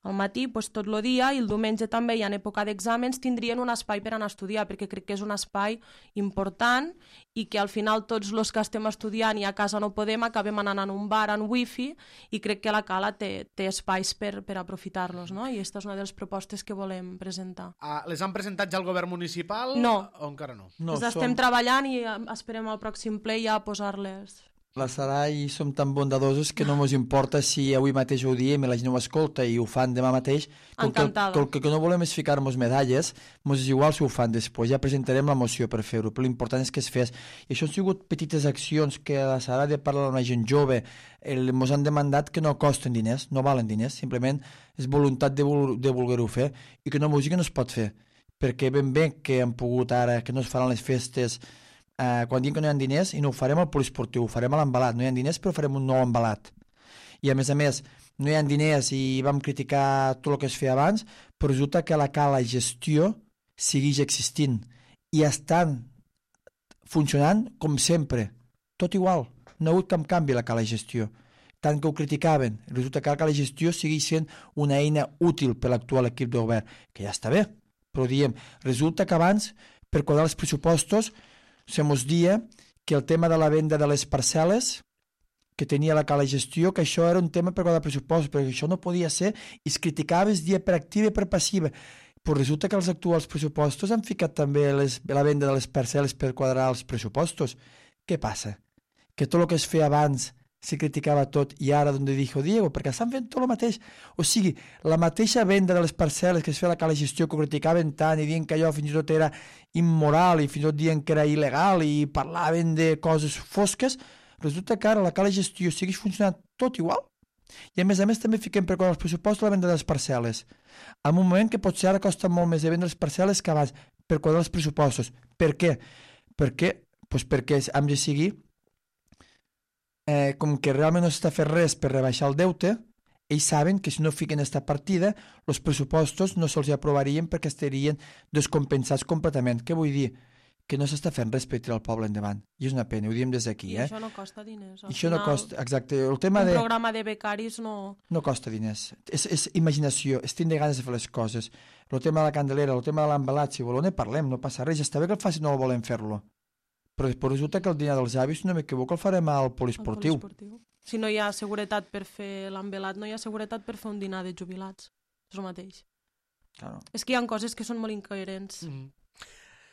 al matí, doncs, tot el dia, i el diumenge també, i en època d'exàmens, tindrien un espai per anar a estudiar, perquè crec que és un espai important i que al final tots els que estem estudiant i a casa no podem, acabem anant a un bar amb wifi, i crec que la Cala té, té espais per, per aprofitar-los, no? I aquesta és una de les propostes que volem presentar. Ah, les han presentat ja al govern municipal? No. O encara no? No, les estem som... treballant i esperem al pròxim ple ja posar-les. La Sarai som tan bondadosos que no ens importa si avui mateix ho diem i la gent ho escolta i ho fan demà mateix. Encantada. El que, el que no volem és ficar-nos medalles, ens és igual si ho fan després, ja presentarem la moció per fer-ho, però l'important és que es fes. I això han sigut petites accions que la Sarai de parlar amb la gent jove ens han demandat que no costen diners, no valen diners, simplement és voluntat de, de voler-ho fer i que no música no es pot fer, perquè ben bé que han pogut ara, que no es faran les festes Uh, quan diem que no hi ha diners, i no ho farem al poliesportiu, ho farem a l'embalat, no hi ha diners però farem un nou embalat, i a més a més no hi ha diners i vam criticar tot el que es feia abans, però resulta que la Cala gestió segueix existint i estan funcionant com sempre, tot igual, no ha hagut cap canvi la Cala gestió, tant que ho criticaven, resulta que la Cala gestió segueix sent una eina útil per l'actual equip de govern, que ja està bé, però diem, resulta que abans per quadrar els pressupostos se mos dia que el tema de la venda de les parcel·les que tenia la Cala gestió, que això era un tema per quadrar pressupostos, perquè això no podia ser i es criticava es dia per activa i per passiva. Però resulta que els actuals pressupostos han ficat també les, la venda de les parcel·les per quadrar els pressupostos. Què passa? Que tot el que es feia abans se criticava tot i ara d'on dijo Diego, perquè estan fent tot el mateix. O sigui, la mateixa venda de les parcel·les que es feia la Cala gestió, que ho criticaven tant i dient que allò fins i tot era immoral i fins i tot dient que era il·legal i parlaven de coses fosques, resulta que ara la Cala gestió segueix funcionant tot igual. I a més a més també fiquem per quadrar els pressupostos la venda de les parcel·les. En un moment que potser ara costa molt més de vendre les parcel·les que abans per quadrar els pressupostos. Per què? Perquè, doncs perquè hem de seguir Eh, com que realment no s'està fent res per rebaixar el deute, ells saben que si no fiquen aquesta partida, els pressupostos no se'ls aprovarien perquè estarien descompensats completament. Què vull dir? Que no s'està fent res per tirar el poble endavant. I és una pena, ho diem des d'aquí. I eh? això no costa diners. I això no costa, exacte. El tema un de... programa de becaris no... No costa diners. És, és imaginació, és tindre ganes de fer les coses. El tema de la candelera, el tema de l'embalat, si voleu ne parlem, no passa res. Ja està bé que el faci, no volem fer-lo. Però després resulta que el dinar dels avis, si no m'equivoco, el farem al poliesportiu. poliesportiu. Si no hi ha seguretat per fer l'embelat, no hi ha seguretat per fer un dinar de jubilats. És el mateix. Claro. És que hi ha coses que són molt incoherents. Mm.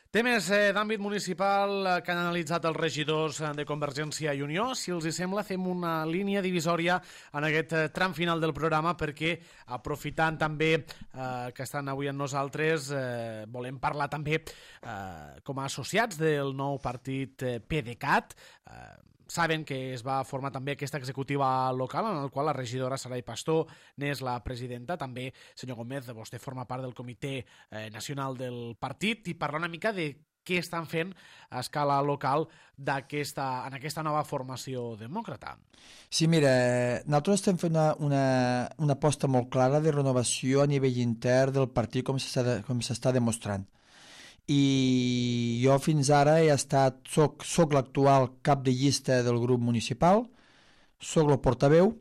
Temes eh, d'àmbit municipal eh, que han analitzat els regidors eh, de Convergència i Unió. Si els hi sembla, fem una línia divisòria en aquest eh, tram final del programa perquè, aprofitant també eh, que estan avui amb nosaltres, eh, volem parlar també eh, com a associats del nou partit eh, PDeCAT. Eh, Saben que es va formar també aquesta executiva local en el qual la regidora Sarai Pastor n'és la presidenta. També, senyor Gómez, vostè forma part del comitè eh, nacional del partit i parlar una mica de què estan fent a escala local d'aquesta, en aquesta nova formació demòcrata. Sí, mira, nosaltres estem fent una, una, una aposta molt clara de renovació a nivell intern del partit com s'està com s'està demostrant. I jo fins ara he estat, soc, soc l'actual cap de llista del grup municipal, soc el portaveu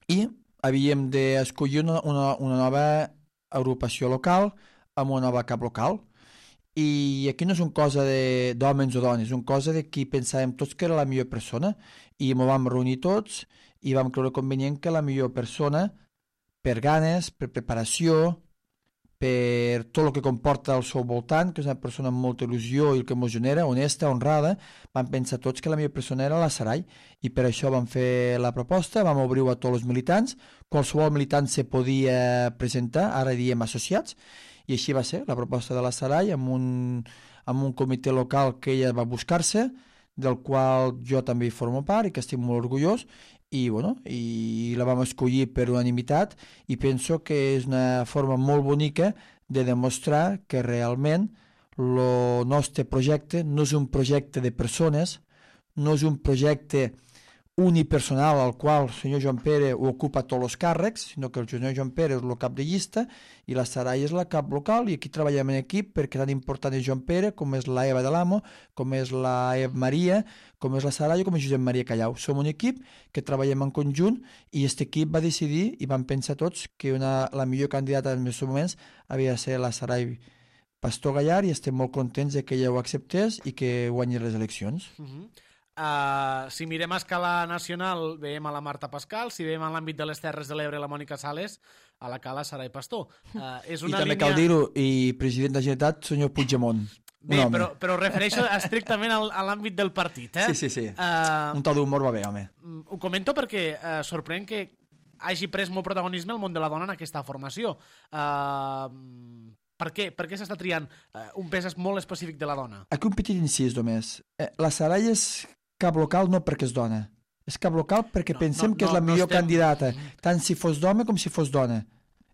i havíem d'escollir una, una, una nova agrupació local amb una nova cap local. I aquí no és una cosa d'homes o dones, és una cosa de qui pensàvem tots que era la millor persona i ens vam reunir tots i vam creure convenient que la millor persona, per ganes, per preparació, per tot el que comporta al seu voltant, que és una persona amb molta il·lusió i el que ens genera, honesta, honrada, vam pensar tots que la millor persona era la Sarai i per això vam fer la proposta, vam obrir-ho a tots els militants, qualsevol militant se podia presentar, ara diem associats, i així va ser la proposta de la Sarai amb un, amb un comitè local que ella va buscar-se, del qual jo també hi formo part i que estic molt orgullós, i, bueno, i la vam escollir per unanimitat i penso que és una forma molt bonica de demostrar que realment el nostre projecte no és un projecte de persones, no és un projecte unipersonal al qual el senyor Joan Pere ocupa tots els càrrecs, sinó que el senyor Joan Pere és el cap de llista i la Sarai és la cap local, i aquí treballem en equip perquè tan important és Joan Pere, com és la Eva de l'Amo, com és la Eva Maria, com és la Sarai o com és Josep Maria Callau. Som un equip que treballem en conjunt i aquest equip va decidir i van pensar tots que una, la millor candidata en aquests moments havia de ser la Sarai Pastor Gallard, i estem molt contents de que ella ho acceptés i que guanyi les eleccions. Uh-huh. Uh, si mirem a escala nacional, veiem a la Marta Pascal. Si veiem a l'àmbit de les Terres de l'Ebre la Mònica Sales, a la Cala Sarai Pastor. Uh, és una I també línia... cal dir-ho, i president de la Generalitat, senyor Puigdemont. Bé, però, però refereixo estrictament al, a l'àmbit del partit. Eh? Sí, sí, sí. Uh, un to d'humor va bé, home. Ho comento perquè uh, sorprèn que hagi pres molt protagonisme el món de la dona en aquesta formació. Uh, per què? Per què s'està triant uh, un pes molt específic de la dona? Aquí un petit incís només. Eh, la Sarai és cap local no perquè és dona. És cap local perquè no, pensem no, que és la no, millor no estem... candidata, tant si fos d'home com si fos dona.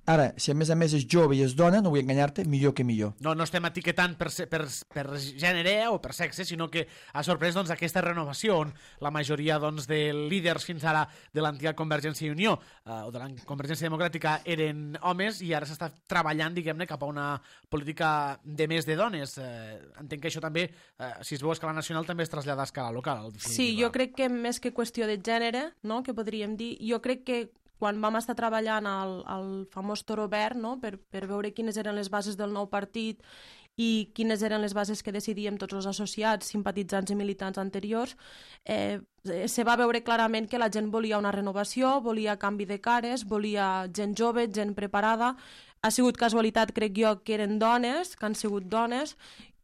Ara, si a més a més és jove i és dona, no vull enganyar-te, millor que millor. No, no estem etiquetant per, per, per gènere o per sexe, sinó que ha sorprès doncs, aquesta renovació on la majoria doncs, de líders fins ara de l'antiga Convergència i Unió eh, o de la Convergència Democràtica eren homes, i ara s'està treballant, diguem-ne, cap a una política de més de dones. Eh, entenc que això també, eh, si es veu a escala nacional, també es trasllada a escala local. Sí, jo crec que més que qüestió de gènere, no?, que podríem dir, jo crec que quan vam estar treballant al, al famós Toro Verd, no?, per, per veure quines eren les bases del nou partit i quines eren les bases que decidíem tots els associats, simpatitzants i militants anteriors, eh, se va veure clarament que la gent volia una renovació, volia canvi de cares, volia gent jove, gent preparada. Ha sigut casualitat, crec jo, que eren dones, que han sigut dones.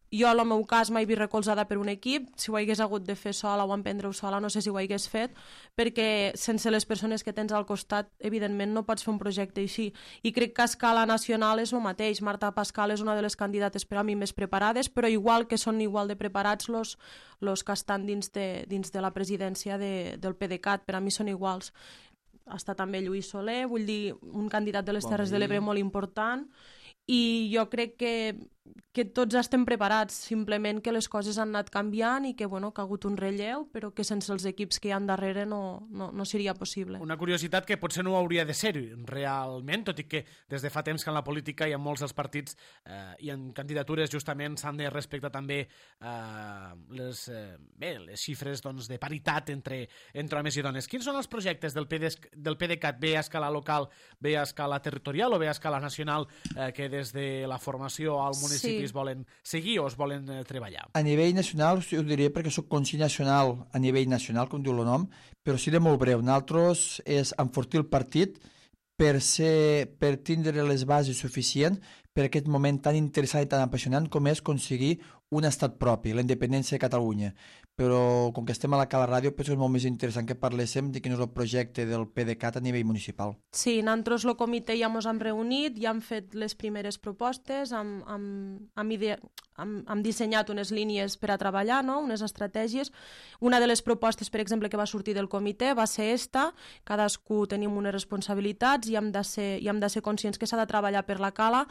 Jo, en el meu cas, mai vi recolzada per un equip. Si ho hagués hagut de fer sola o emprendre-ho sola, no sé si ho hagués fet, perquè sense les persones que tens al costat, evidentment, no pots fer un projecte així. I crec que a escala nacional és el mateix. Marta Pascal és una de les candidates per a mi més preparades, però igual que són igual de preparats los, los que estan dins de, dins de la presidència de, del PDeCAT. Per a mi són iguals. Està també Lluís Soler, vull dir, un candidat de les Terres de l'Ebre molt important. I jo crec que, que tots estem preparats, simplement que les coses han anat canviant i que, bueno, que ha hagut un relleu, però que sense els equips que hi ha darrere no, no, no seria possible. Una curiositat que potser no hauria de ser realment, tot i que des de fa temps que en la política i en molts dels partits eh, i en candidatures justament s'han de respectar també eh, les, eh, bé, les xifres doncs, de paritat entre, entre homes i dones. Quins són els projectes del, PD, del PDeCAT, bé a escala local, bé a escala territorial o bé a escala nacional, eh, que des de la formació al municipi sí. es volen seguir o es volen eh, treballar? A nivell nacional, ho diré perquè soc consell nacional a nivell nacional, com diu el nom, però seré molt breu. Nosaltres és enfortir el partit per, ser, per tindre les bases suficients per aquest moment tan interessant i tan apassionant com és aconseguir un estat propi, la independència de Catalunya. Però com que estem a la Cala Ràdio, penso que és molt més interessant que parléssim de quin és el projecte del PDeCAT a nivell municipal. Sí, nosaltres el comitè ja ens hem reunit, ja hem fet les primeres propostes, hem, hem, hem, ide... hem, hem dissenyat unes línies per a treballar, no?, unes estratègies. Una de les propostes, per exemple, que va sortir del comitè va ser esta, cadascú tenim unes responsabilitats i hem de ser, i hem de ser conscients que s'ha de treballar per la Cala.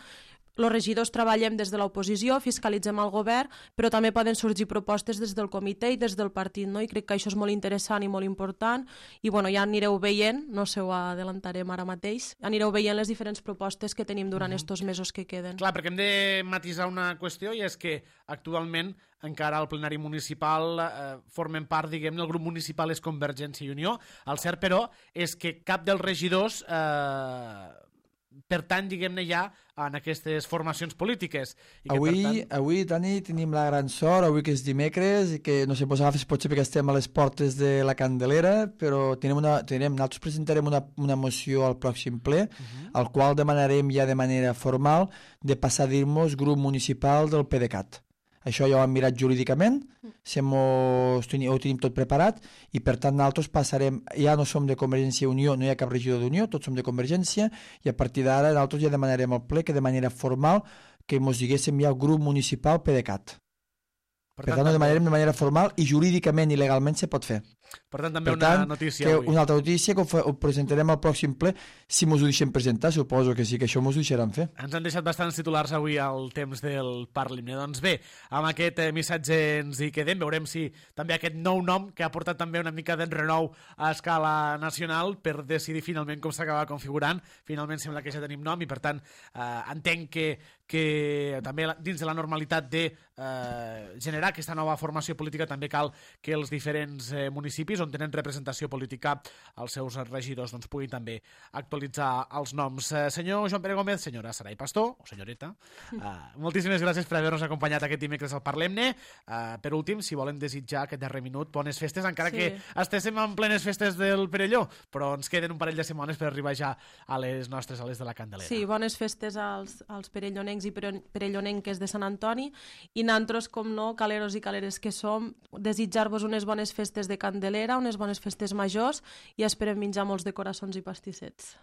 Els regidors treballem des de l'oposició, fiscalitzem el govern, però també poden sorgir propostes des del comitè i des del partit, no? I crec que això és molt interessant i molt important, i bueno, ja anireu veient, no sé, ho adelantarem ara mateix, anireu veient les diferents propostes que tenim durant mm-hmm. estos mesos que queden. Clar, perquè hem de matisar una qüestió, i és que actualment encara al plenari municipal eh, formen part, diguem-ne, el grup municipal és Convergència i Unió. El cert, però, és que cap dels regidors eh, pertany, diguem-ne, ja en aquestes formacions polítiques. I que, avui, per tant... avui, Dani, tenim la gran sort, avui que és dimecres, i que no sé, pues, agafes potser perquè estem a les portes de la Candelera, però tenim una, tenim, nosaltres presentarem una, una moció al pròxim ple, uh-huh. al qual demanarem ja de manera formal de passar a dir-nos grup municipal del PDeCAT. Això ja ho hem mirat jurídicament, sem ho, ho tenim tot preparat, i per tant nosaltres passarem, ja no som de Convergència i Unió, no hi ha cap regidor d'Unió, tots som de Convergència, i a partir d'ara nosaltres ja demanarem al ple que de manera formal que ens diguéssim ja el grup municipal PDeCAT. Per, per tant, tant, ho demanarem de manera formal i jurídicament i legalment se pot fer. Per tant, també per una tant, notícia que avui. Una altra notícia que ho, fa, ho presentarem al pròxim ple, si mos ho deixem presentar, suposo que sí, que això mos ho deixaran fer. Ens han deixat bastants titulars avui al temps del Parlim-ne. Doncs bé, amb aquest eh, missatge ens hi quedem. Veurem si també aquest nou nom, que ha portat també una mica d'enrenou a escala nacional per decidir finalment com s'acaba configurant. Finalment sembla que ja tenim nom i, per tant, eh, entenc que, que també dins de la normalitat de eh, generar aquesta nova formació política també cal que els diferents eh, municipis on tenen representació política els seus regidors doncs, puguin també actualitzar els noms. Eh, senyor Joan Pere Gómez, senyora Sarai Pastor, o senyoreta, eh, moltíssimes gràcies per haver-nos acompanyat aquest dimecres al Parlem-ne. Eh, per últim, si volen desitjar aquest darrer minut, bones festes, encara sí. que estéssim en plenes festes del Perelló, però ens queden un parell de setmanes per arribar ja a les nostres, a les de la Candelera. Sí, bones festes als, als perellonencs i perellonenques de Sant Antoni, i nantros, com no, caleros i caleres que som, desitjar-vos unes bones festes de Candelera, unes bones festes majors, i esperem menjar molts de coraçons i pastissets.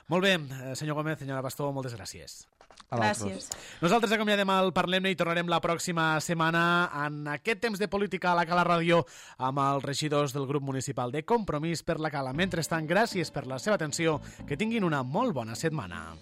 Molt bé, senyor Gómez, senyora Pastor, moltes gràcies. Gràcies. Nosaltres acomiadem el Parlem-ne i tornarem la pròxima setmana en aquest temps de política a la Cala Ràdio amb els regidors del grup municipal de Compromís per la Cala. Mentrestant, gràcies per la seva atenció, que tinguin una molt bona setmana.